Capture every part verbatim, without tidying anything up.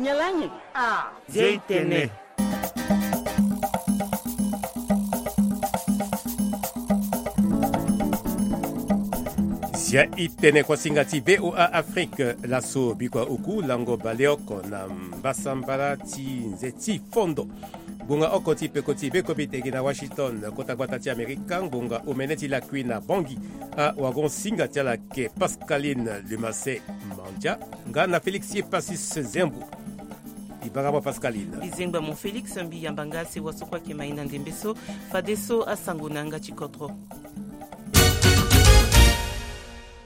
Nyalangi. Ah, Zia i tene. Zia i tene, kuasinga ti VOA Afrique. Laso bikua oku lango baleoko na mbasambala ti nze ti fondo. Ngbonga oko ti peko ti beko bitege na Washington, kota gbata ti Amerika. Ngbonga omene ti lakui na Bangui, awagon-singa ti ala ayeke Pascaline Lemasse Mandia, nga na Félix Passis Zembu. Ibanga mo Pascaline. Bizengba mo Félix, mbi yamba nga sewa so kue ayeke mai na ndembe so. Fadeso asango na yanga ti kodro.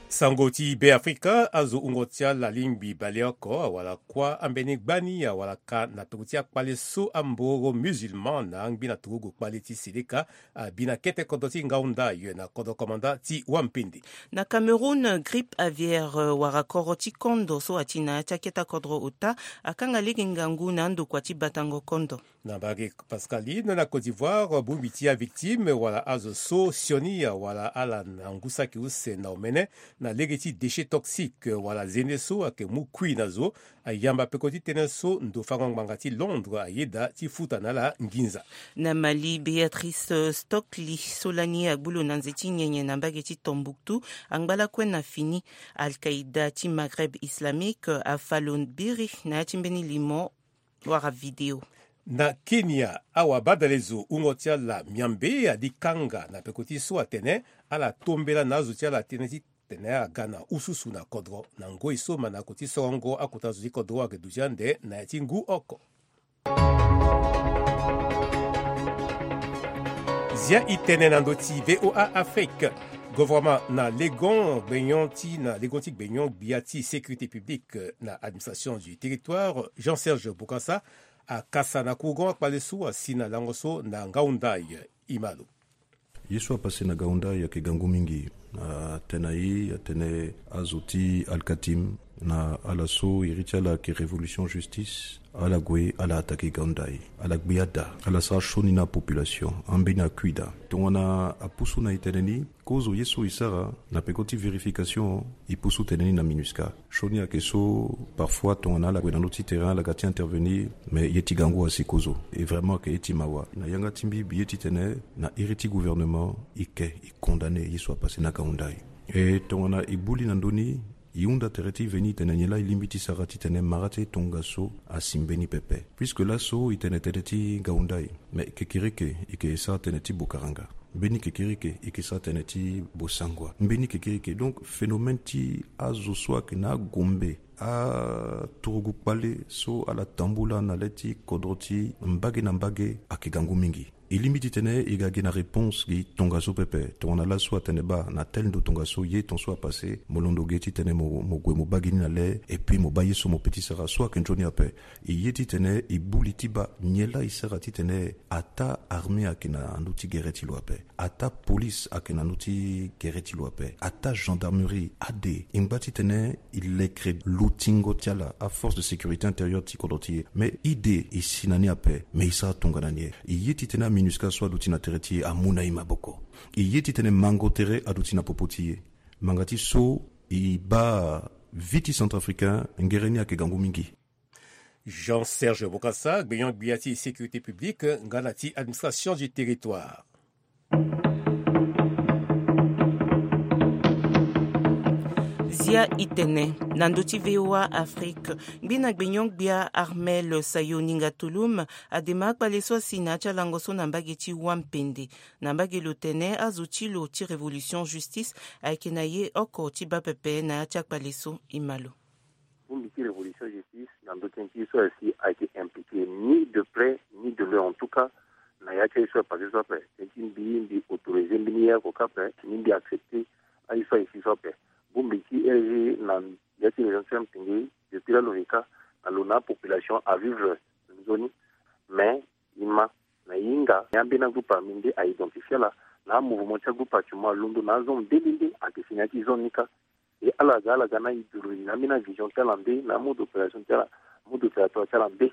Sango ti Be Afrika. Azo wungo ti ala lingbi baleoko awara kuâ ambeni gbani awara ka na peko ti akpale so amboro musulman na angbi na turugu kpale ti Seleka abi na kete kodro ti Ngaoundaya na kodro komanda ti Wampende. Na Cameroun, grippe aviaire, euh, wara koro ti kondo so ati na ya ti akete kodro ota akanga lege ngangu na andokua ti batango kondo. Na mbage Pascaline, na Côte d'Ivoire, bongbi ti avictime wala azo so sioni awara ala na ngu saki use na omene na lege ti déchets toxiques wala zende so ayeke mu kui na zo, ayamba peko ti tënë so ndo fango ngbanga ti Londres ayeda ti futa na ala nginza. Na Mali, Béatrice Stockley so lani agbu lo na nze ti nyenye na mbage ti Tombouctou angba lakue na fini. Al-Qaïda ti Maghreb Islamique afa lo biri na ya ti mbeni limo wala video. Na Kenya, awabadalezo wungo ti ala miambe adi kanga na peko ti so atene ala tombela na azo ti ala tënë ti tene aga na ususu na kodro na ngoi so manako ti sorongo akota zo ti kodro ayeke duti ande na ya ti ngu oko. Zia i tene na ndö ti VOA Afrique. Gouvernement na legon gbenyon ti na legon ti gbenyon gbia ti sécurité publique na administration du territoire, Jean-Serge Bokassa, akasa na courant akpale so asi na lango so na Ngaoundaya. Imalo. Ye so apase na Ngaoundaya ayeke gangu mingi. Atene na e atene azo ti Al-Katim na ala so iri ti ala ayeke Révolution Justice, ala gue ala attaqué Ngaoundaya, ala gbe ada, ala sara sioni na apopulation ambeni akui daa. Tongana apusu na e tene ni, kozo ye so e sara na peko ti vérification, e pusu tene ni na MINUSCA. Sioni ayeke so parfois tongana ala gue na ndö ti terrain ala ga ti intervenir, mais ye ti gangu asi kozo. E vraiment ayeke ye ti mawa. Na yanga ti mbi, mbi ye titene na iri ti gouvernement e ke e condamné ye so apase na Ngaoundaya. E tongana e bu li na ndö ni, e hunda tere ti veni tene nyen laa e lingbi ti sara titene mara ti tongaso asi mbeni pepe. Puisque laso e tene tere ti Ngaoundaya, mais kekereke e yeke sara tene ti Bokaranga. Mbeni kekereke e yeke sara tene ti Bossangoa. Mbeni kekereke. Donc phénomène ti azo so ayeke na agombe, aturugu kpale so ala tambula na le ti kodro ti mbage na mbage ayeke gangu mingi. E lingbi titene e ga gi na réponse gi tongaso pepe. Tongana laso atene baa na tel ndo tongaso ye ton so apase, mo londo ge titene mo, mo gue mo baa gi ni na le, et puis mo baa ye so mo pe ti sara so ayeke nzoni ape. E ye titene e bu li ti baa nyen laa e sara titene ataa armée ayeke na ndö ti gere ti lo ape, ataa police ayeke na ndö ti gere ti lo ape, ataa gendarmerie, ade e ngba titene e lekere lotingo ti ala, aforce de sécurité intérieure ti kodro ti e. Mais ide e si na ni ape, mais e sara tongana nyen? E ye titene aMINUSCA so aduti na tere ti e amu na e maboko. E ye titene mango tere aduti na popo ti e. Manga ti so e baa vie ti centrafricain ngere ni ayeke gangu mingi. Jean-Serge Bokassa, gbenyon gbia ti sécurité publique nga na ti administration du territoire. Zia i tene na ndö ti VOA Afrique. Ngbina gbenyon gbia Armel Sayo Ninga Tulum adema akpale so asi na ya ti alango so na mbage ti Wampende. Na mbage lo tene azo ti lo ti Révolution Justice ayeke na ye oko ti baa pepe na ya ti akpale so. Imalo. Bongbi ti Révolution Justice na ndö tënë ti ye so asi ayeke impliqué ni de près ni de loin, en tout cas na ya ti aye so apasé so ape. Tënë ti mbi, mbi autorisé mbeni ye oko kâ ape, ni mbi accepté aye so aye si so ape. Bongbi ti R G na ya ti région ti Wampende depuis lalo ve kâ na lo na apopulation avivre nzoni. Mais e ma na e hinga ni ambeni agroupe armé nde a identifié ala na amouvement ti agroupe actuellement alondo na azone nde nde nde ayeke si na ya ti zone ni kâ. E ala ga ala ga na idéologie na ambeni avision ti ala nde na amode opération ti ala, mode opératoire ti ala nde.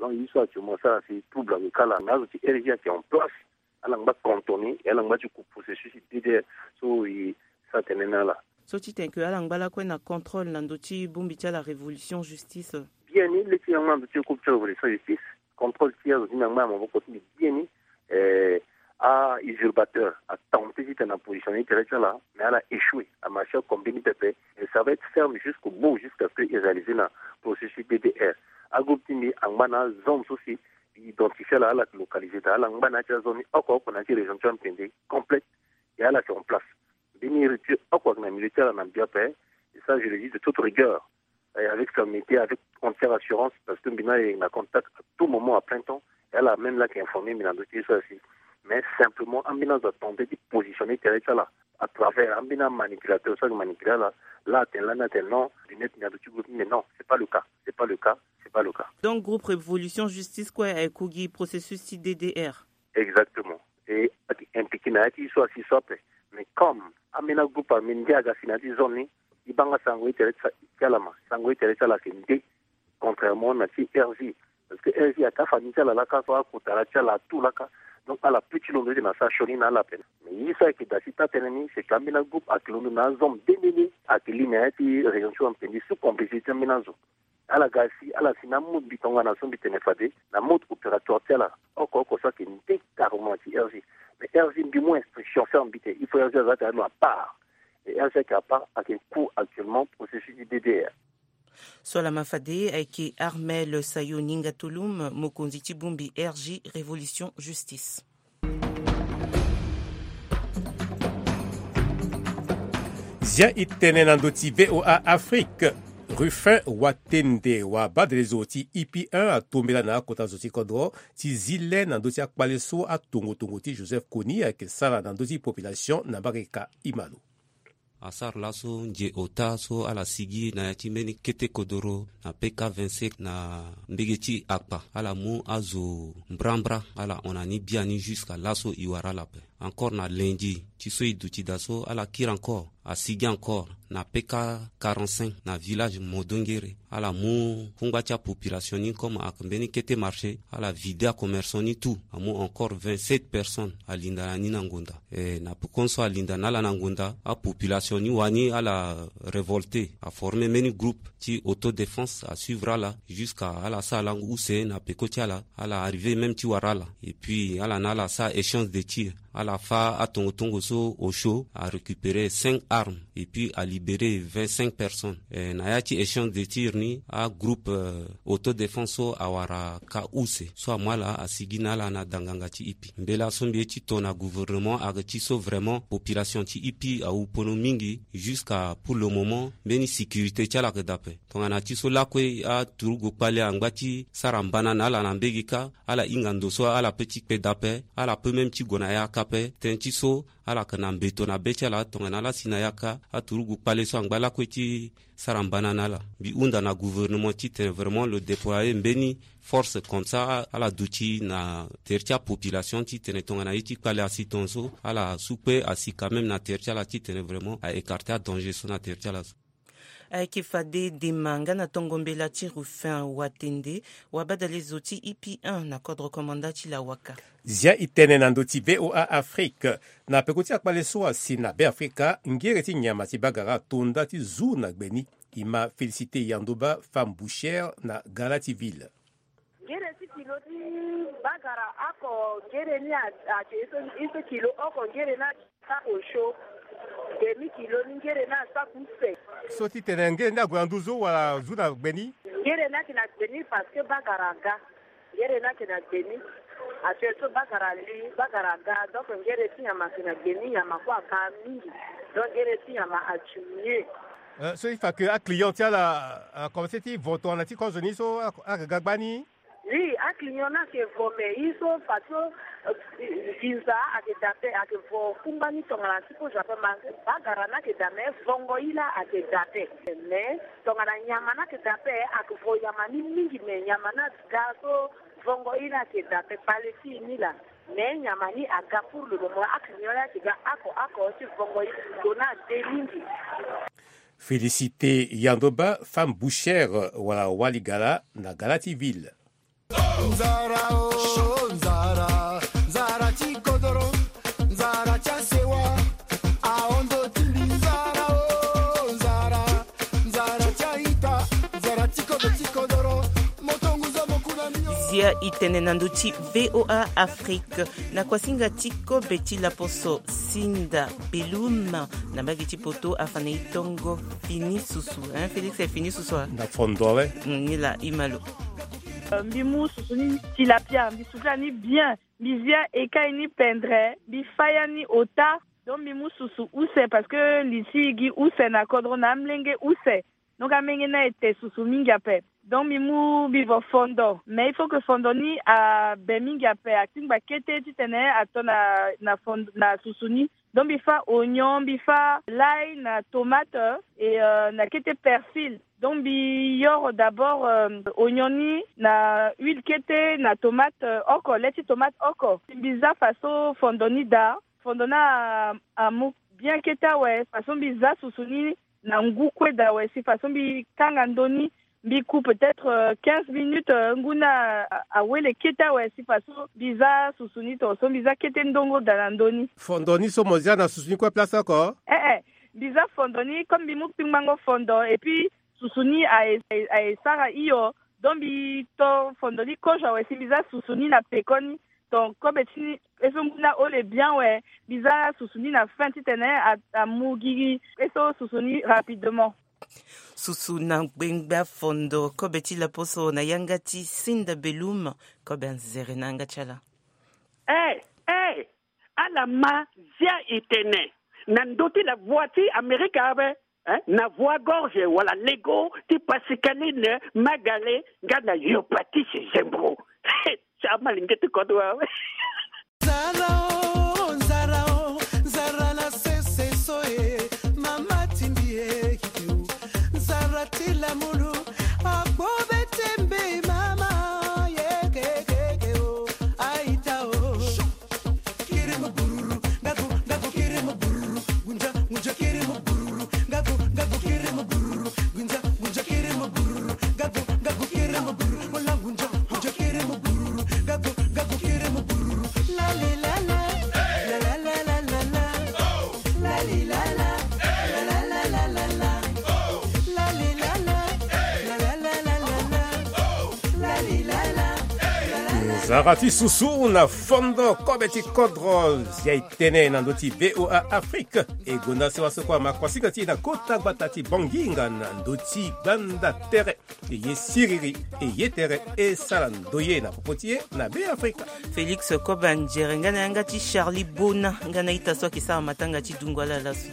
Donc ye so actuellement asara si trouble ayeke kâ laa, mais azo ti R G ayeke en place. Ala ngba cantonné e ala ngba ti ku processus ti D D R so e sara tënë na ala. So ti tene ke ala ngba lakue na contrôle na ndö ti bongbi ti ala Révolution Justice. Biani le ti yangba na ndo ti groupe ti révolution justice, contrôle ti azo ti mbi yangba na maboko ti mbi biani. Eh, a usurpateur atente ti tene na position ni tere ti ala, mais ala échoué, amarché comme mbeni pepe. Et ça va être ferme jusqu'au bout, jusqu'à ce que i réalisé na processus D D R. Agroupe ti mbi angba na azombe so si identifié ala, ala localisé daa, ala ngba na ya ti azoni oko oko na ya ti région ti ampende complète. Et ala yeke en place. Mbeni rupture oko ayeke na milieu ti ala na mbi ape. Et ça je le dis de toute rigueur, et avec fermeté, avec entière assurance, parce que mbi na ye na contact à tout moment, à plein temps. Et ala même la yeke informé mbi na ndo ti ye so asi. Mais simplement ambeni azo atente ti positionner tere ti ala à travers ambeni amanipulateur so ayeke manipulé ala. La atene lani atene non, lunette ni ando ti groupe ni, mais non, c'est pas le cas, c'est pas le cas, c'est pas le cas. Donc groupe Révolution Justice kue ayeke gi processus ti D D R. Exactement. Et ayeke impliqué na ya ti so asi so ape. Mais comme ambeni agroupe armé nde aga si na ya ti zone ni, e banga sango ti tere ti ala, ma sango ti tere ti ala ayeke nde. Contrairement na ti R J, parce que R J ayeke afamille ti ala laka so, akota ala ti ala tout laka. Donc ala peut ti londo ete na sara sioni na ala ape. Mais ye so ayeke daa ti taa-tënë ni, c'est que ambeni agroupe ayeke londo na azombe nde nde nde ayeke li na ya ti région ti ampende sous complicité ti ambeni azo. Ala ga si ala si na amode mbi tongana so mbi tene fade na mode opératoire ti ala oko oko so ayeke nde carrément na ti R J. Mais R J mbi mu instruction ferme mbi tene il faut R J aza ate alo à part. Et R J ayeke à part, ayeke en cours actuellement processus ti D D R. So lama fade ayeke Armel Sayo Ninga Tulum, mokonzi ti bongbi R J Révolution Justice. Zia e tene na ndö ti V O A Afrique. Ruffin Watende, wabadelezo ti I P un, atombela na akota zo ti kodro ti zi le na ndö ti akpale so atongotongo ti Joseph Kony ayeke sara na ndö ti population na Mbarika. Imalo. Asara laso nze ota so ala sigi na ya ti mbeni kete kodoro na P K vingt-cinq na mbege ti akpa, ala mu azo mbrambra, ala hon na ni biani jusqu'à laso e wara ala ape. Encore na lundi ti so e duti daa so, ala kiri encore, asigi encore na P K quarante-cinq na village Modongere. Ala mu kungba ti apopulation ni comme ayeke mbeni kete marché, ala vide acommerçant ni tout, amu encore vingt-sept personnes alinda na ni na ngonda. Eh, na pekoni so alinda na ala na ngonda, apopulation ni wani ala révolté, aformé mbeni groupe ti autodéfense, asuivre ala jusqu'à ala sara lango use na peko ti ala, ala arrivé même ti wara ala. Et puis ala na ala sara échange de tir, ala fâ atongotongo so osio, arécupéré cinq armes et puis alibéré vingt-cinq personnes. Eh, na ya ti échange de tir ni, agroupe, euh, autodéfense so awara ka use so amu ala asigi na ala na danganga ti ipi. Mbela so mbi ye ti to na gouvernement ayeke ti so vraiment population ti ipi awu pono mingi. Jusqu'à pour le moment mbeni sécurité ti ala ayeke daa ape. Tongana ti so lakue aturugu kpale angba ti sara mbana na ala na mbege kâ, ala hinga ndo so ala peut ti kpe daa ape, ala peut même ti gue na yaka ape. Tënë ti so ala yeke na mbeto na be ti ala, tongana ala si na yaka, aturugu kpale so angba lakue ti sara mbana na ala. Mbi hunda na gouvernement ti tene vraiment lo déployer mbeni force comme ça, ala duti na tere ti apopulation ti tene tongana ye ti kpale asi tongaso, ala su kpe asi quand même na tere ti ala ti tene vraiment a écarter adanger so na tere ti ala so. Ayeke fade dema nga na tongo mbela ti Ruffin Watende, wabadalezo ti I P un na kodro komanda ti Lawaka. Zia e tene na ndö ti V O A Afrique. Na peko ti akpale so asi na Beafrika, ngere ti nyama ti bagara ato nda ti zu na gbe ni. E ma Félicité Yandoba, femme bouchère na Gala ti ville. Ngere ti kilo ti bagara oko, ngere ni a, ayeke ye so, ye so kilo oko, ngere ni asa osio. Demi kilo ni ngere ni asa use. So ti tene ngere ni ague na nduzu wala zu na gbe ni? Ngere ni ayeke na gbe ni parce que bagara aga. Ngere ni ayeke na gbe ni. Actuel so bagara ali, bagara aga. Donc ngere ti nyama ayeke na gbe ni, nyama kue aga mingi. Donc ngere ti nyama adu mieux. Eh, so e fa ke aclient ti ala, eh, akomanse ti vo tongana ti kozo ni so, a, ayeke ga gbani? Oui, aclient ni ayeke vo, mais ye so fa so, eh, nginza ayeke daa ape, ayeke vo kungba ni tongana ti kozo ape, ma bagara ni ayeke daa, mais vongo ye laa ayeke daa ape. Mais tongana nyama ni ayeke daa ape, ayeke vo nyama ni mingi, mais nyama ni aga so vongo ye laa ayeke daa ape, kpale ti e ni laa. Mais nyama ni aga pour le moment, aclient ni ayeke ga oko oko ti vongo ye, ndo ni ade mingi. Félicité Yandoba, femme bouchère, wala waligala na Gala ti ville. Nzara o, nzara, nzara ti kodoro, nzara ti asewa, ahon ndo ti mbi. Nzara o, nzara, nzara ti a-ita, nzara ti kodro ti kodoro. Ya i tene na ndö ti VOA Afrique. Na kuasinga ti kobe ti laposo Sinda Belum, na mbage ti poto afa na e tongo fini susu, hein, Félix, e fini susu a? Na fondo awe. Mm, ni la i ma lo. Euh, mbi mu susu ni tilapia, mbi sukula ni bien, mbi zia ekai ni pendre, mbi fa ya ni ota. Donc mbi mu susu use parce que li si gi use na kodro na amlenge use. Donc amenge ni aye te susu mingi ape. Donc mbi mu mbi vo fondo. Mais il faut que fondo ni abe mingi ape, atingba kete titene ato na, na fondo, na susu ni. Donc mbi fa oignon, mbi fa l'ail na tomate et, euh, na kete persil. Donc mbi yoro d'abord, euh, oignon ni na huile kete na tomate, euh, oko, le ti tomate oko. Mbi za faso fondo ni daa. Fondo ni a, amu bien kete awe, faso mbi za susu ni na ngu kue daa awe, si faso mbi kanga ndö ni, mbi ku peut-être, euh, quinze minutes, euh, ngu ni a, awele kete awe, si faso mbi za susu ni to, so mbi za kete ndongo daa na ndö ni. Fondo ni so mo zia na susu ni kue place oko? Eh, eh, mbi za fondo ni, comme mbi mu kpingbango fondo, et puis susu ni aye, aye, aye sara hio. Donc mbi to fondo ni kozo awe, si mbi za susu ni na pekoni. Donc kobe ti ni, e so ngu ni ahole bien awe, mbi za susu ni na fin titene a, amu gigi, e so susu ni rapidement. Susu na ngbengba fondo, kobe ti laposo na yanga ti Sinda Belum, kobe anzere na yanga ti ala. Eh, eh, ala ma zia e tene na ndö ti la voix ti Amerika awe, hein? Na voix gorge wala lego ti Pascaline Magale, nga na yo Patrice Zembro. Ti amalenge ti kodro awe. Nzara o, nzara o, nzara na sese so e, mama ti mbi e, nzara ti lamulu, akpo be ti mbi mama, ye ke ke ke o, aita o. Nzara ti susu na fondo kobe ti kodro, zia e tene na ndö ti VOA Afrique. E gonda sewa so kue ama kuasinga ti e na kota gbata ti Bangui nga na ndö ti gbanda tere. E ye siriri, e ye tere, e sara ndoye na popo ti e na Be Afrika. Félix Koba Nzere nga na yanga ti Charlie Bona nga na ita so ayeke sara matanga ti dungo ala laso.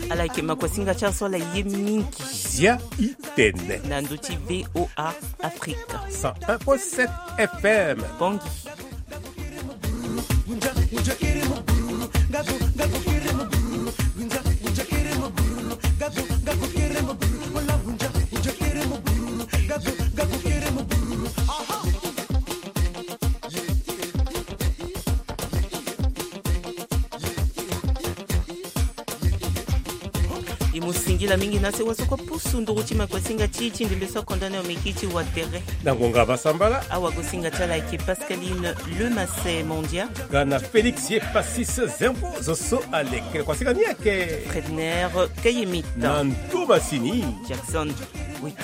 Ala yeke makuasinga ti aso ala ye mingi. Zia i tene na ndö ti VOA Afrique. Cent un point sept F M. Bongi. E mu singila mingi na sewa so kue pusu nduru ti makuasinga ti e ti ndembe so akonda na yo meki ti watere. Na ngonga basambala. Awagosinga ti ala ayeke Pascaline Lemasset Mondia. Nga na Félix ye Passis Zembo zo so aleke kuasinga ni ayeke Fredner Kayemit. Na nduba sini Jackson Wit.